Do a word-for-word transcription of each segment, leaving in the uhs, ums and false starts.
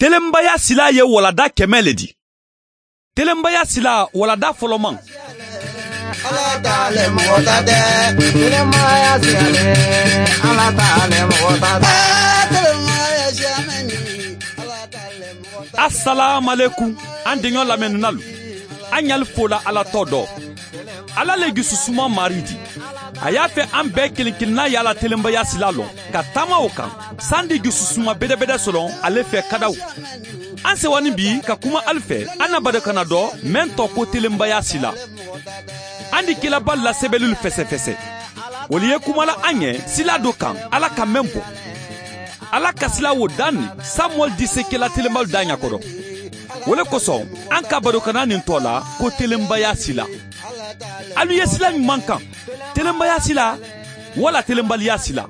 Telenbaya sila ye walada kɛmɛ le di. Telenbaya sila walada fɔlɔman. Asalaamalekum, an deɲɔ lamɛnnilalu, an ɲali fola Ala tɔ dɔ. Ala le jususuma Maari di. A y'a fɛ an bɛɛ kelen-kelenna ye a la telenbaya sila lɔn, ka taama o kan, sandi jususuma bedebede sɔrɔ ale fɛ kadaw. An sewanin bi ka kuma ali fɛ an na barokana dɔ, meŋ tɔgɔ ko telenbaya sila. An di kilaba lasɛbɛlilu fɛsɛfɛsɛ. Wolu ye kuma la an ɲɛ sila do kaŋ, Ala ka meŋ bo. Ala ka sila wo daŋ ne, Samuwɛli di se kela telenbalu daaɲa kono. Wo le koso, an ka barokana nin tɔ la ko telenbaya sila. Alu ye sila ɲuman kaŋ, telenbaya sila walla telenbaliya sila?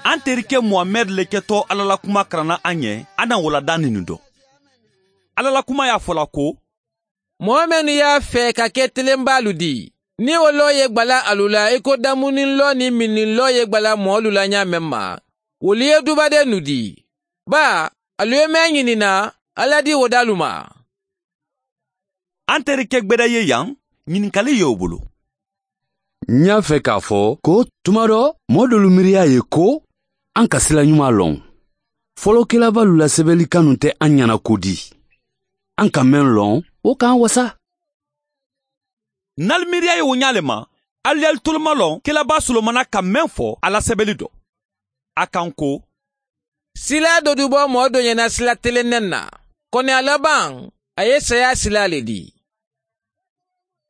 An terike Muhamɛdi le ketɔ Ala la kuma karanna an ye, an na walada nin dɔn. Ala la kuma y'a fɔ la ko: Moo mennu ye a fee ka ke telenbaalu ti, niŋ wo loo ye gbala alu la i ko damuniŋ loo niŋ minniŋ loo ye gbala moolu la ñaameŋ ma, wolu ye dubadennu ti. Baa, alu ye meŋ ñini na, Alla di wo daalu ma. An terike gbeda ye yaŋ, ñininkali ye wo bulu. N ñaa fe k'a fo ko tuma do moo doolu miiriya ye ko an ka sila ñuma loŋ. Folokelabalu la sebeli kanu te an ñana ko di. An ka meŋ loŋ, wo ka an wasa. N ali miiriya ye wo ñaa le ma, ali ye ali tolomaloŋ kelaba solomana ka meŋ fo a la sebeli do. A kaŋ ko: Sila do dubo moo do ñana sila teleŋ neŋ na, koni a labaŋ, a ye saya sila le di.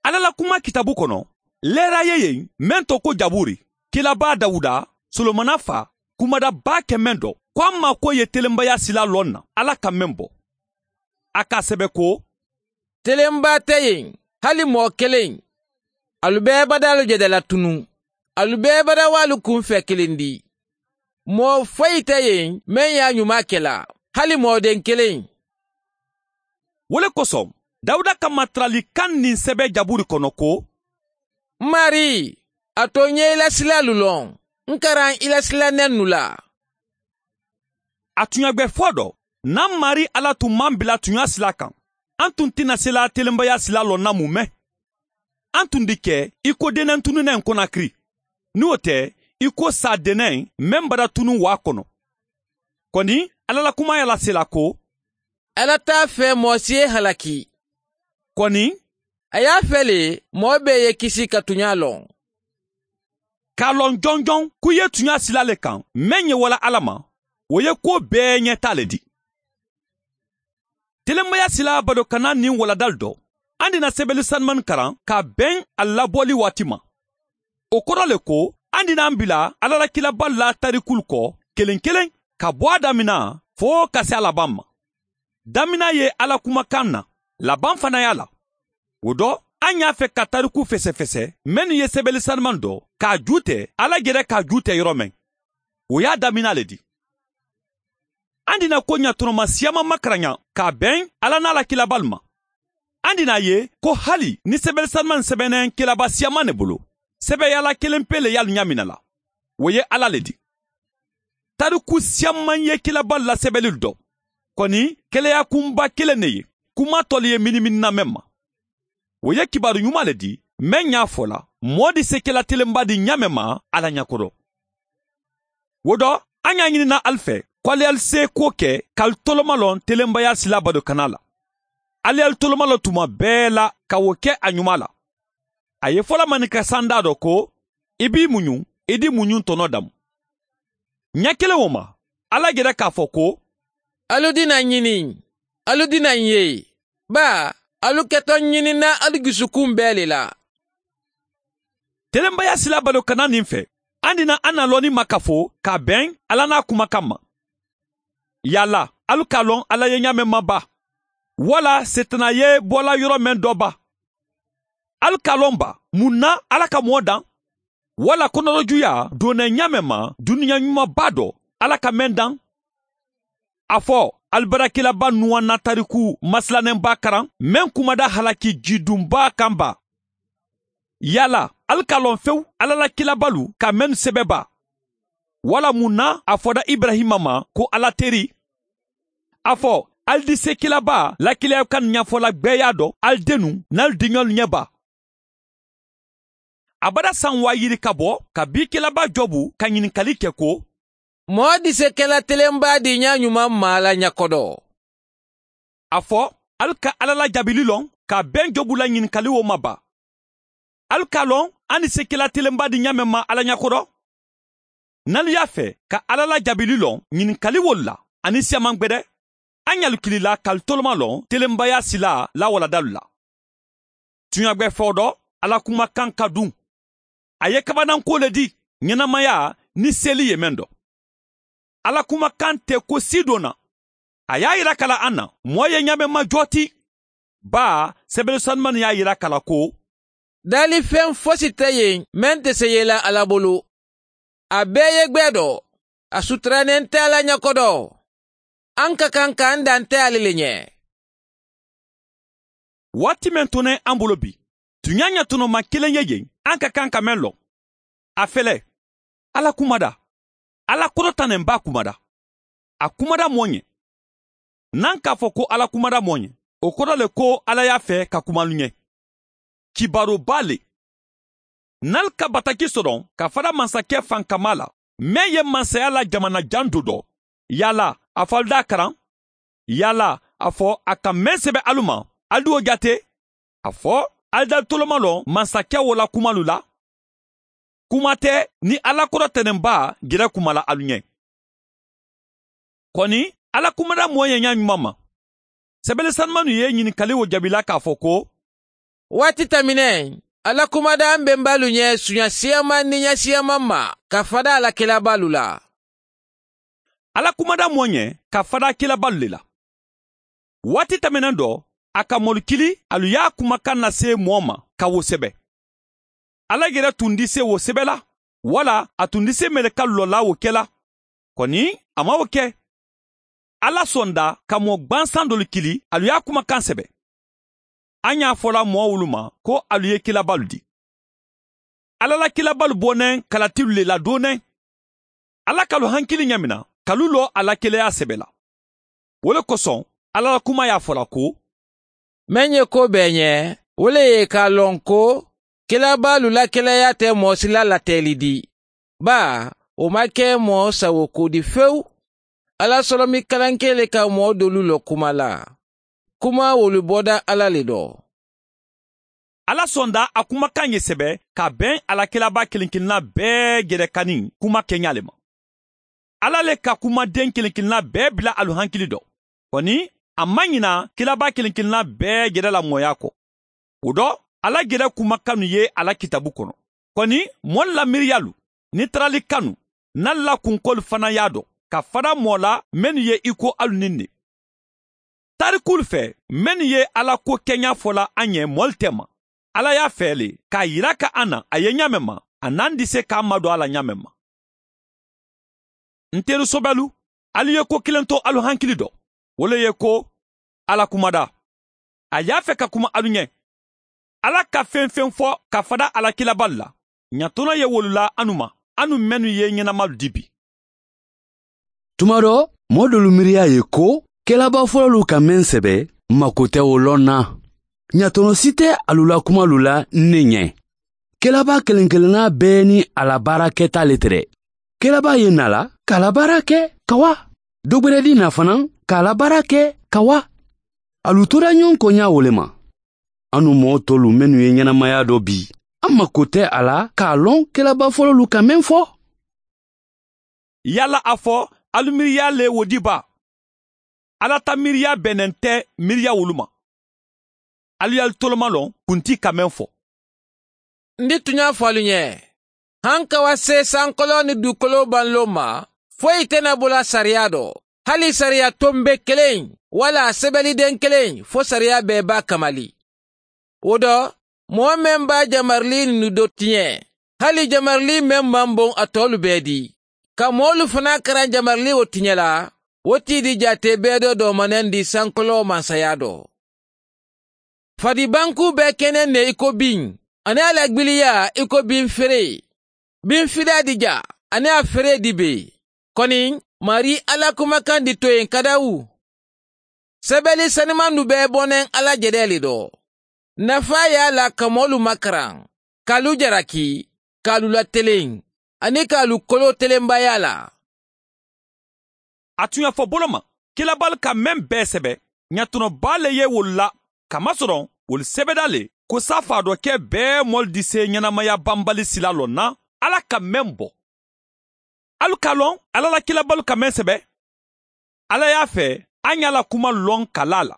Alla la kuma kitaabu kono, leera ye yen meŋ to ko jaburi, kilaba dawuda, solomana fa, kumada baa ke meŋ do ko a maakoyi ye telenbaya sila loŋ na alla ka meŋ bo. A ka a sebe ko: Telenbaa te yen, hali moo keleŋ. Alu bee badaalu je dala tunuŋ. Alu bee badawaalu kunfee kilinndi. Moo foyi te yen meŋ ye a ñumaa ke la, hali moo deŋ keleŋ. Wo le koso, dawuda ka matarali kaŋ niŋ sebe jaburi kono ko: Maari, a to n ye i la silaalu loŋ, n karaŋ i la sila nennu la. A tuɲagbe fo do, naŋ maari alla tun maŋ bila tuɲa sila kaŋ, an tun ti na sila telenbaya sila loŋ na mu meŋ? An tun di ke i ko denentununeŋ konakiri, niŋ wo te, i ko saadeneŋ meŋ bada tunuŋ waa kono. Koni alla la kuma ye a lasela ko: Alla te a fee moo si ye halaki. Koni, a ye a fee le, moo bee ye kisi ka tuɲa loŋ. Ka a loŋ jonjoŋ ko i ye tuɲa sila le kaŋ, meŋ ye wala alla ma, wo ye kuwo bee ñetaa le di. Telenbaya sila badokana niŋ waladalu do, an di na sebeli sanumani karaŋ ka a beŋ a labooli waati ma. Wo koro le ko, an di na an bila alla la kilabalu la tarikulu ko keleŋ keleŋ, ka bo a damina fo ka si a labaŋ ma. Damina ye alla kumakaŋ na, labaŋ fanaŋ ye a la. Wo do, an ye a fe ka tariku fesefese mennu ye sebeli sanumani do ka a juute alla jere ka a juute yoro meŋ, wo ye a damina le di. An di na ko ñatoroma siyaman makaraña ka a beŋ alla niŋ a la kilabalu ma. An di na a ye ko hali niŋ sebeli sanumani sebeneŋ kilaba siyaman ne bulu, sebeyaala keleŋ pee le ye alu ñaamina la, wo ye alla le di. Tariku siyaman ye kilabalu la sebelilu do, koni keleya kunba keleŋ ne ye, kuma tolu ye miniminina meŋ ma. Wo ye kibaaru ñuma le di, meŋ ñaa fo la moo di se kela telenba di ñaameŋ ma a la ñakoto. Wo do, a ñaa ñinina ali fe ko ali ye ali seekuwo ke ka ali tolomaloŋ telenbaya sila badokana la. Ali ye ali tolomaloŋ tuma bee la ka wo ke a ñuma la. A ye fo la maninka sandaa do ko, i be i muñuŋ i di muñuŋ tono damu. Ña keleŋ wo ma, alla jere ka a fo ko: Alu dina ñini, alu dina n ye, baa alu keto ñinina alu jusukuŋ bee le la. Telenbaya sila badokana niŋ fe, an dina an na looni makafo ka a beŋ alla niŋ a kumakaŋ ma. Yaala alu ka a loŋ alla ye ñaameŋ ma baa? Walla seetana ye bola yoro meŋ do baa? Alu ka a loŋ baa, muŋ na alla ka moo daŋ? Walla konorojuyaa doona ñaameŋ ma duniya ñuma baa do alla ka meŋ daŋ? A fo, ali barakilaba nuwanna tariku masilanenbaa karaŋ meŋ kumada halaki jidunbaa kaŋ baa? Yaala alu ka a loŋ fewu alla la kilabalu ka mennu sebe baa? Walla muŋ na a foda iburayima ma ko alla teri? A fo ali disekelabaa lakileyakannu ñafola gbeeyaa do ali dennu nin ali diñolu ñe baa. Abada saŋ waa yiri ka bo kabiŋ kelabaa jobu ka ñinikali ke ko, moo disekela telenbaa diiñaa ñumaŋ maa la ña kodo? A fo ali ka alla la jaabili loŋ ka a beŋ jobu la ñinikali wo ma baa. Ali ka a loŋ a ni sekela telenbaa diiñaa meŋ maa alla ña kodo? Nin ali ye a fee ka alla la jaabili loŋ ñinikali wolu la, a ni siyaamaŋ gbede, a ñalu kili la ka ali toloma loŋ telenbaayaa silaa la waladaalu la. Tuña be fewo do, alla kumakaŋ ka duŋ. A ye kabanankuwo le dii ñenemayaa niŋ seeli ye meŋ do. Alla kumakaŋ te ko sii doo na. A ye a yira ka la a na moo ye ñaameŋ ma joo ti. Baa sebele sanumannu ye a yira ka la ko, daalifeŋ fosi te yeŋ meŋ te seyeela alla bulu. A bee ye gbee do. A sutura neŋ te alla ña kodo. A nka kaŋ ka a nda nte ali le ñe. Waati meŋ to ne a bolo bi tuñaa ñatonoma keleŋ ye jeŋ a nka kaŋ ka meŋ loŋ. A fele, alla kumada. Alla kodo taneŋ baa kumada. A kumada moo ñe. Naŋ ka a fo ko alla kumada moo ñe, wo kodo le ko alla ye a fee ka kuma alu ñe. Kibaaroo baa le. Nin ali ka bataki soto ka fada mansakee fankamaa la meŋ ye mansayaa la jamana jaŋ do do, yaala a fo ali da a karaŋ? Yaala a fo a ka meŋ sebe alu ma, ali di wo jaate? A fo ali da ali toloma loŋ mansakee wo la kumalu la? Kuma te niŋ alla kodo teneŋ baa gere kuma la alu ñe. Koni, alla kumada moo ye ñaa ñumaŋ ma. Sebele sanumannu ye ñinikali wo jaabi la ka a fo ko, waati tamineŋ, alla kumada a mbembaalu ñe suña siyamaŋ niŋ ña siyamaŋ ma ka fada a la kelabaalu la. Alla kumada moo ñe ka fada kelabaalu le la. Waati tamineŋ do, a ka moolu kili alu ye a kumakaŋ na see moo ma ka wo sebe. Alla gere tuŋ disee wo sebe la, walla a tuŋ disee meleka lolla wo ke la? Koni, a maŋ wo ke. Alla sonda ka moo gbansaŋ doolu kili alu ye a kumakaŋ sebe. A ñaa fola moo wolu ma ko alu ye kilabaalu dii. Alla la kilabaalu bo neŋ kalatilu le la dooneŋ. Alla ka alu hankili ñaamina ka alu loo a la keleyaa sebe la. Wo le kosoŋ, alla la kumaa ye a fola ko, meŋ ye koo bee ñe, wo le ye i ka a loŋ ko kelabaalu la keleyaa te moo si la lateeli dii. Baa, wo maŋ ke moo sawo kuu di fewu. Alla solomi kalankee le ka moo doolu lo kuma la. Kuma wolu boda alla le do. Alla sonda a kumakaŋ ye sebe ka a beŋ a la kelabaa keleŋ keleŋ na bee gere kaniŋ kuma keñaa le ma. Alla le ka kumadeŋ keleŋ keleŋ na bee bila alu hankili do. Koni, a maŋ ñina kelabaa keleŋ keleŋ na bee gere la mooyaa ko. Wo do, alla gere kumakannu ye a la kitaabu kono. Koni, moolu la miiriyaalu niŋ tarali kannu, niŋ ali la kunkoolu fanaa ye a do ka fada moo la mennu ye i ko alu niŋ ne. Taarikuulu fee mennu ye alla ko keñaa fola a ñe moolu tema, alla ye a fee le ka a yira ka a na a ye ñaameŋ ma, a naŋ disee ka a madoo a la ñaameŋ ma. Ntelu sobelu, alu ye ko kiliŋ to alu hankili do. Wo le ye ko, alla kumada. A ye a fee ka kuma alu ñe. Alla ka feŋ feŋ fo ka fada a la kilabaalu la, ñatono ye wolu la anu ma, anu mennu ye ñenamaalu dii bi. Tuma do, moo doolu miiriyaa ye ko kelabaa fololu ka meŋ sebe, mako te wo loŋ na. Ñatono si te alu la kumalu la n ne ñe. Kelabaa keleŋ keleŋ naa bee niŋ a la baara keta le te de. Kelabaa ye naa la ka a la baara ke ka waa. Dogberedi naa fanaa ka a la baara ke ka waa. Alu toora ñoŋ koñaa wo le ma. Anu moo tolu mennu ye ñenemayaa do bi, a mako te a la ka a loŋ kelabaa fololu ka meŋ fo. Yaala a fo alu miiriyaa le wo dii baa? Alla ta miiriyaa beneŋ te miiriyaa wolu ma. Alu ye alu toloma loŋ kuntii ka meŋ fo. N di tuñaa fo alu ñe, hankawasee sankoloo niŋ duukoloo baŋ loo ma, foyi te na bo la sariyaa do. Hali sariyaa tombee keleŋ walla sebelideŋ keleŋ fo sariyaa bee be a kamali. Wo do, moo meŋ be a jamarilii nunu do tiñe, hali jamarilii meŋ maŋ boŋ a toolu bee dii, ka moolu fanaa karaŋ jamarilii wo tiñe la, wo tiidi jaatee bee do doomanendi sankoloo mansayaa do. Fadi bankuu bee keneŋ ne i ko biŋ, aniŋ a la gbiliyaa i ko biŋ feree. Biŋ fidaa di jaa aniŋ a feree di bee? Koni, maarii alla kumakaŋ di toyeŋ kadawu. Sebeli sanimandu bee boneŋ alla jedee le do. Nafaa ye a la ka moolu makaraŋ, ka alu jaraki, ka alu lateleŋ, aniŋ ka alu koloo telembayaa la. A tuɲa fo boloma, kilabaalu ka meŋ bee sebe, ɲatunobaa le ye wolu la, kamasoroŋ wolu sebeda le ko saafaa doo ke bee moolu disee ɲenamaya banbali sila loŋ na alla ka meŋ bo. Alu ka a loŋ alla la kilabaalu ka meŋ sebe? Alla ye a fee a ŋà a la kuma loŋ ka laa a la.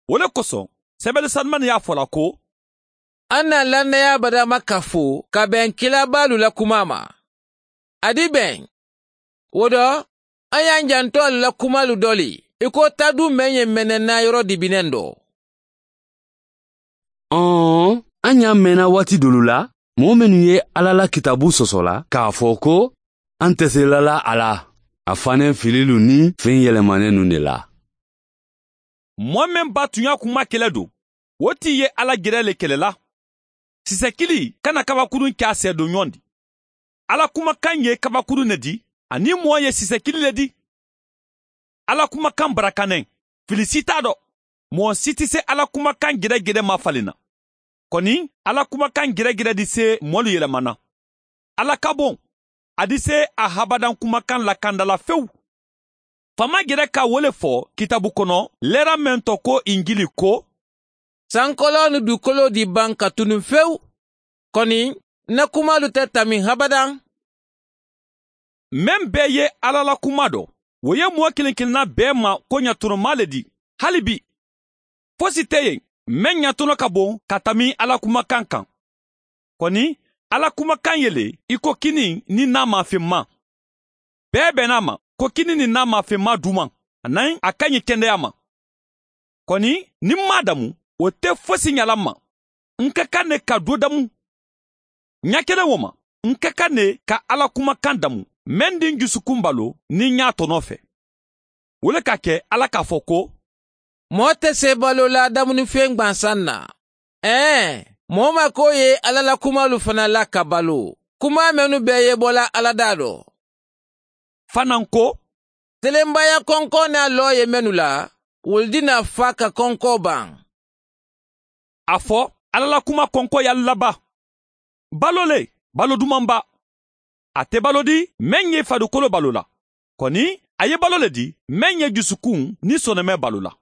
Wo le koso, sebele sanumani ye a fo a la ko, a na lannaya badama kafo ka beŋ kilabaalu la kumaa ma. A di beŋ. Wo do, a ye a janto alu la kumaalu doli i ko taduu meŋ ye meneŋ na yoro dibineŋ do. Ɔn, a ɲa meena waati dolu la, moo mennu ye alla la kitaabu sosola k'a fo ko, a nte se lala a la, a faneŋ fililu niŋ feŋ yelemanennu ne la. Moo meŋ ba tuɲa kuma kele do, wo ti ye alla jere le kele la. Sisekili kana kabakurun ke a seedo ɲoŋ di. Alla kumakan ye kabakurun ne di, aniŋ moo ye sisekili le di. Alla kumakan barakaneŋ, fili si taa do. Moo si ti se alla kumakan jere jere ma fali na. Koni, alla kumakan jere jere di se moolu yelema na. Alla ka boŋ, a di se a habadan kumakan lakanda la fewu. Faama jere ka wo le fo kitaabu kono leera meŋ to ko injili ko, sankoloonu dukoloo di baŋ ka tunu fewu. Koni, n na kumaalu te tamiŋ habadan. Meŋ bee ye alla la kuma do, wo ye moo kiliŋ kiliŋ na bee ma ko ɲatunomaa le di. Hali bii, fosi te yen meŋ ɲatuno ka boŋ ka tamiŋ alla kumakan kaŋ. Koni, alla kumakan ye le i ko kiniŋ niŋ naa maafeŋ maa. Bee be naa ma ko kiniŋ niŋ naa maafeŋ maa duumaŋ, aniŋ a kañi kendeyaa ma. Koni, niŋ m maŋ a damu, wo te fosi ñala m ma. N ka kaŋ ne ka doo damu. Ña keleŋ wo ma, n ka kaŋ ne ka alla kumakan damu, meŋ di n jusukun baloo niŋ ñaa tonoo fee. Wo le ka ke alla ka a fo ko, moo te see baloo la damunifeŋ gbansaŋ na. Ee, moo maakoo ye alla la kumaalu fanaa la ka baloo, kumaa mennu bee ye bo la alla daa do. Fanaa ko, telenbaya konkoo niŋ a loo ye mennu la, wolu dinaa faa ka konkoo baŋ. A fo, alla la kuma konkoo ye alu la ba? Baloo le, baloo dumaŋ ba. A te baloo di meŋ ye fadukoloo baloo la. Koni, a ye baloo le di meŋ ye jusukun niŋ sonomee baloo la.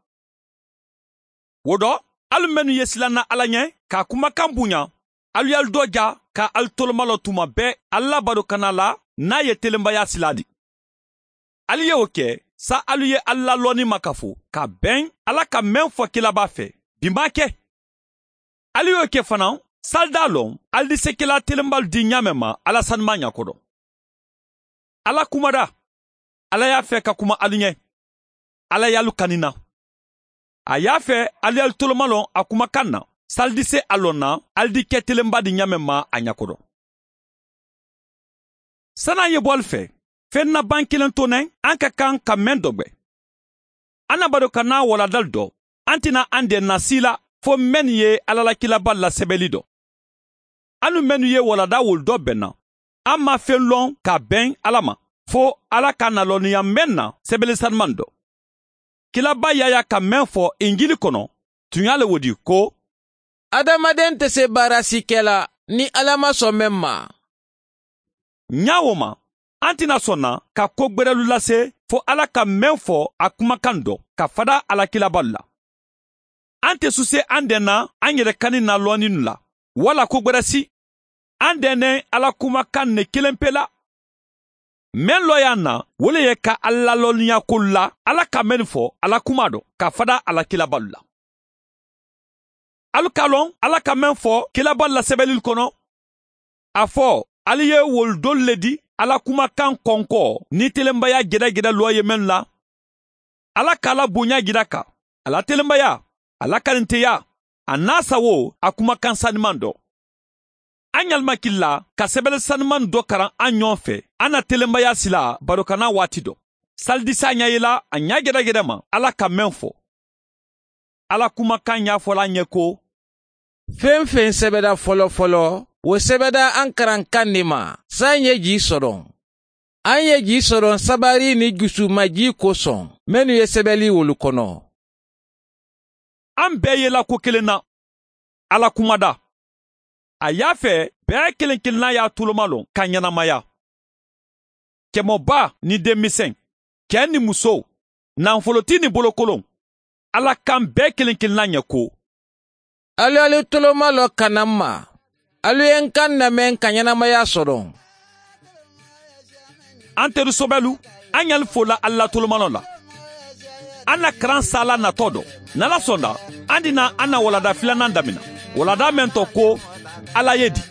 Wo do, alu mennu ye silanna alla ñe ka a kumakan buña, alu ye alu doo ja ka alu tolomaloo tuma bee alla la badokanaa la niŋ a ye telenbayaa silaa di. Alu ye wo ke, saayiŋ alu ye alu la looniŋ makafo ka beŋ alla ka meŋ fo kilabaa fee, bi maŋ a ke. Alu ye wo ke fanaa, saayiŋ daa loŋ alu di se kelaa telenbaalu di ñaameŋ ma alla sanumaa ñakoto. Alla kumadaa, alla ye a fee ka kuma alu ñe. Alla ye alu kani n na. A ye a fee alu ye alu tolomaloŋ a kumakan na, saayiŋ alu di se a loŋ na alu di ke telenbaa di ñaameŋ ma a ñakoto. Sani a ye bo alu fee, feŋ na baŋ kiliŋ to neŋ a ka kaŋ ka meŋ dogbe. A na badokanaa waladaalu do, a nte na a ndeena sii la fo mennu ye alla la kilabaalu la sebeli do. A niŋ mennu ye waladaa wolu do beŋ na, a maŋ feŋ loŋ ka beŋ alla ma, fo alla ka a na looniya meŋ na sebele sanumaŋ do. Kilabaa yaayaa ka meŋ fo injili kono, tuñaa le wo di ko, adamadeŋ te se baara si ke la niŋ alla maŋ soŋ meŋ ma. Ñaa wo ma, a nte na soŋ na ka ko gberelu lase fo alla ka meŋ fo a kumakan do ka fadaa a la kilabaalu la. A nte su se a ndeena a n yere kani n na looniinu la walla ko gbere si. A ndeeneŋ alla kumakan ne keleŋ pe la. Meŋ looyaa n na wo le ye ka alla la looniyaakolu la alla ka mennu fo a la kumaa do ka fadaa a la kilabaalu la. Alu ka a loŋ alla ka meŋ fo kilabaalu la sebelilu kono. A fo, alu ye wolu dolu le di alla kumakan konkoo niŋ telenbayaa jedajeda loo ye mennu la. Alla ka a la buuñaa jira ka a la telenbayaa, a la kaninteyaa, a niŋ a sawoo a kumakan sanimaŋ do. A ñalima kili la ka sebele sanimaŋ do karaŋ a ñoŋ fee a na telenbayaa sila badokanaa waati do. Salidisaa ña ye la a ñaa jedajeda ma alla ka meŋ fo. Alla kumakan ñaafola a ñe ko, feŋ-feŋ sebeda folo-folo wo sebeda a n karankaŋ ne ma saayiŋ ye jii soroŋ. A n ye jii soroŋ sabarii niŋ jusuuma jii kosoŋ mennu ye sebeli wolu kono. An bɛɛ yela ko kelen na. Ala kumada. A y'a fɛ bɛɛ kelen kelenna y'a tuloma loŋ ka ɲɛnamaya. Cɛmɔba ni denmisɛn, cɛ ni muso, nanfoloti ni bolokolon, Ala kan bɛɛ kelen kelenna ɲɛ ko. Alu ye alu tuloma loŋ ka na n ma. Alu ye n kan lamɛn ka ɲɛnamaya sɔrɔ. An teru sobɛlu, an ɲali fola alu la tolomanɔ la. An na karan saala natɔ dɔ, n'ala sɔnda, an dina an na walada filanan damina, walada mɛn tɔ ko ala ye di.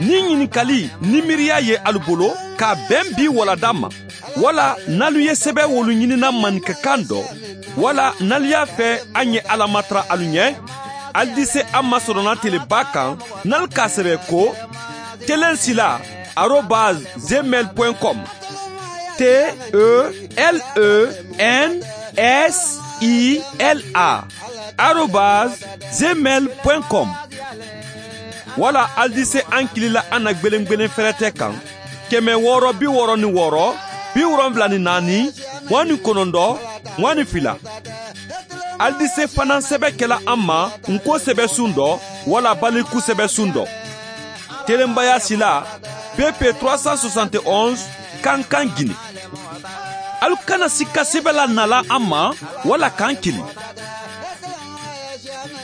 Ni ɲininkali ni miiriya ye alu bolo ka bɛn bi walada ma, wala n'alu ye sɛbɛ wolu ɲinina maninkakan dɔ, wala n'alu y'a fɛ an ye ala matara alu ɲɛ, alu di se an ma sɔrɔna teleba kan, n'alu k'a sɛbɛ ko telen sila arobase gmail point com. T e l e n s i l a arobase gmail point com. Wala alu di se an kili la an na gbelengbelen fɛrɛtɛ kan, kɛmɛ wɔɔrɔ bi wɔɔrɔ ni wɔɔrɔ, bi wolonwula ni naani, mugan ni kɔnɔntɔn, mugan ni fila. Alu di se fanaŋ sɛbɛ kɛla an ma nko sɛbɛsun dɔ, wala baliku sɛbɛsun dɔ. Telenbaya sila, pp trois cent soixante et onze, kankan gine. Alu kana sikka sɛbɛ la nala an ma, wala kan kili.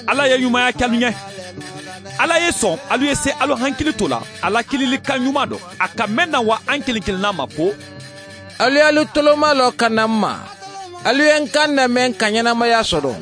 Ala ye ɲumaya kɛ alu ɲɛ. Ala ye sɔn alu ye se alu hankili to la a la kilili kan ɲuman dɔ a ka mɛn na wa an kelen kelenna ma ko. Alu ye alu toloma lɔ ka na n ma. Alu ye n kan lamɛn ka ɲɛnamaya sɔrɔ.